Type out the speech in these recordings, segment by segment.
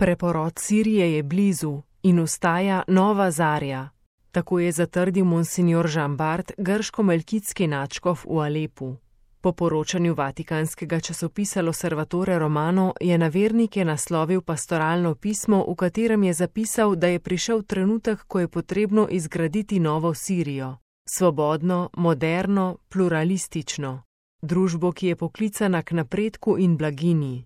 Preporod Sirije je blizu in vstaja nova zarja. Tako je zatrdil monsignor Jean Bart, grško-melkitski nadškof v Alepu. Po poročanju vatikanskega časopisa L'Osservatore Romano je na vernike naslovil pastoralno pismo, v katerem je zapisal, da je prišel trenutek, ko je potrebno izgraditi novo Sirijo. Svobodno, moderno, pluralistično. Družbo, ki je poklicana k napredku in blaginji.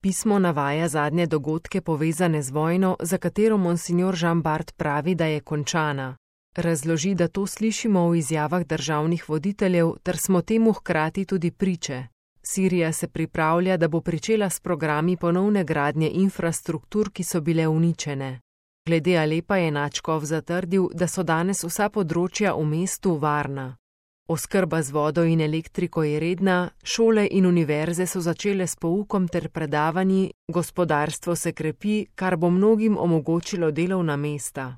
Pismo navaja zadnje dogodke povezane z vojno, za katero monsignor Jean Bart pravi, da je končana. Razloži, da to slišimo v izjavah državnih voditeljev, ter smo temu hkrati tudi priče. Sirija se pripravlja, da bo pričela s programi ponovne gradnje infrastruktur, ki so bile uničene. Glede Alepa je nadškof zatrdil, da so danes vsa področja v mestu varna. Oskrba z vodo in elektriko je redna, šole in univerze so začele s poukom ter predavanji, gospodarstvo se krepi, kar bo mnogim omogočilo delovna mesta.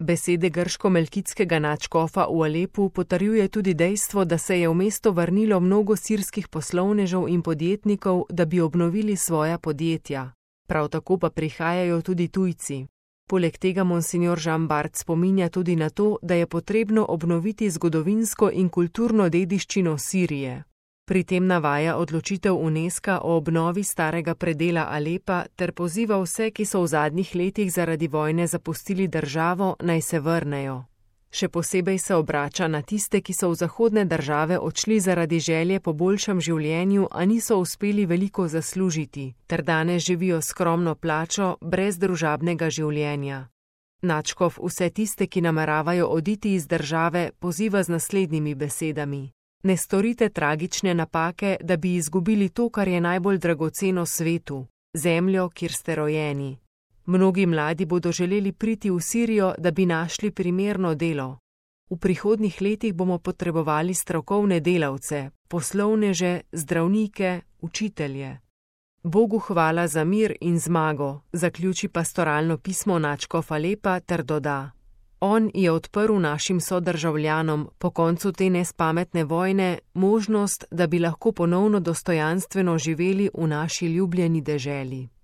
Besede grško-melkitskega nadškofa v Alepu potrjuje tudi dejstvo, da se je v mesto vrnilo mnogo sirskih poslovnežev in podjetnikov, da bi obnovili svoja podjetja. Prav tako pa prihajajo tudi tujci. Poleg tega monsignor Jean Bart spominja tudi na to, da je potrebno obnoviti zgodovinsko in kulturno dediščino Sirije. Pri tem navaja odločitev UNESCO o obnovi starega predela Alepa ter poziva vse, ki so v zadnjih letih zaradi vojne zapustili državo, naj se vrnejo. Še posebej se obrača na tiste, ki so v zahodne države odšli zaradi želje po boljšem življenju, a niso uspeli veliko zaslužiti, ter danes živijo skromno plačo, brez družabnega življenja. Nadškof vse tiste, ki nameravajo oditi iz države, poziva z naslednjimi besedami. Ne storite tragične napake, da bi izgubili to, kar je najbolj dragoceno svetu, zemljo, kjer ste rojeni. Mnogi mladi bodo želeli priti v Sirijo, da bi našli primerno delo. V prihodnjih letih bomo potrebovali strokovne delavce, poslovneže, zdravnike, učitelje. Bogu hvala za mir in zmago, zaključi pastoralno pismo nadškofa Alepa ter doda: On je odprl našim sodržavljanom po koncu te nespametne vojne možnost, da bi lahko ponovno dostojanstveno živeli v naši ljubljeni deželi.